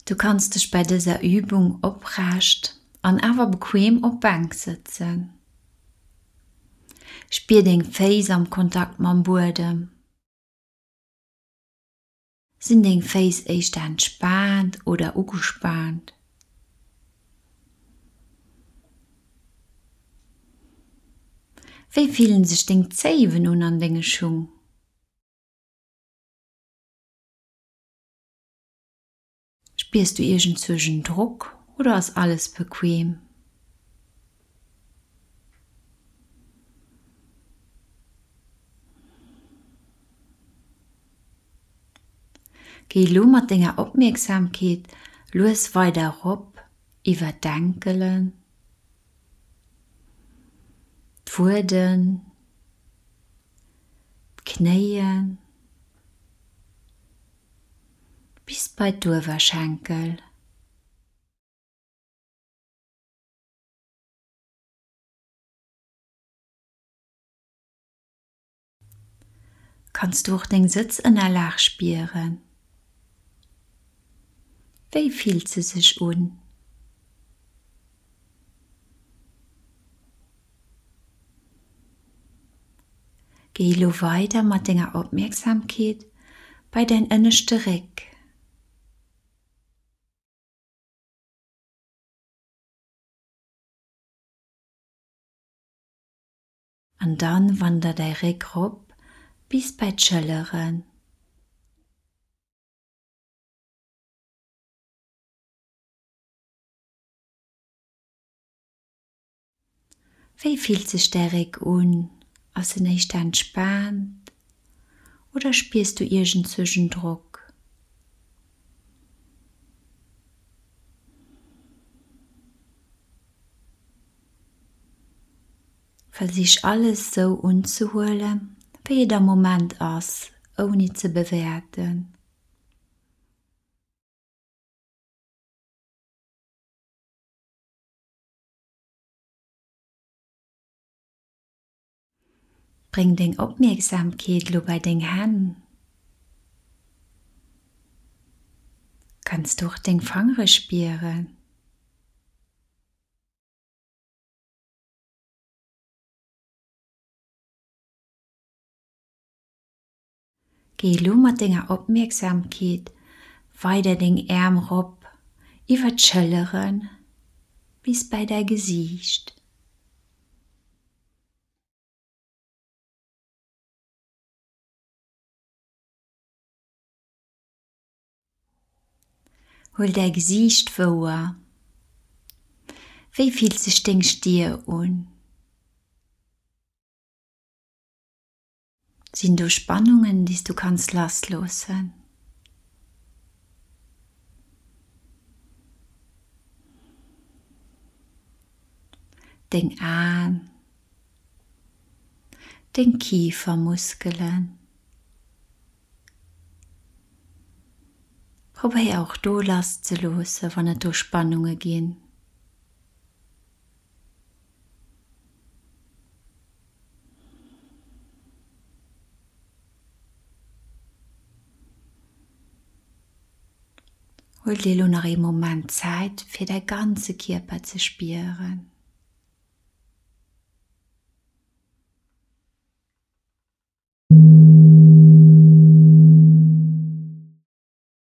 Du kanns dech bei dëser Übung oprecht an awer bequem op Bänk sëtzen. Spier deng Féiss am Kontakt mam Buedem. Sinn deng Féiss éischter entspaant oder ugespaant? Wéi fillen sech deng Zéiwen un an denge Schung? Spiers du iergendzwousch en Drock oder ass alles bequem? Géi elo mat denger Opmierksamkeet lues weider erop iwwer d'Enkelen, d'Wueden, d'Knéien bis bei d'Uewerschenkel. Kanns du och deng Sëtzënnerlag spieren? Wéi fillt se sech un? Géi elo weider mat denger Opmierksamkeet bei däin ënneschte Réck. An dann wander däi Réck rop bis bei d'Schëlleren. Wéi fillt sech däi Réck un? Ass en éischter entspaant oder spiers du iergendzwousch en Drock? Versich alles sou unzehuelen, wéi et am Moment ass, ouni ze bewäerten. Bréng deng Opmierksamkeet elo bei deng Hänn. Kanns du och deng Fangere spieren? Géi elo mat denger Opmierksamkeet weider deng Äerm rop iwwer d'Schëllere bis bei däi Gesiicht. Huel däi Gesiicht wouer. Wéi fillt sech deng Stier un? Sinn do Spannungen, déi s du kanns lassloossen? Deng Aen, deng Kifermuskelen. Probéier och do lass ze loosse wann et do Spannunge ginn. Huel dir elo nach ee Moment Zäit fir däi ganze Kierper ze spieren.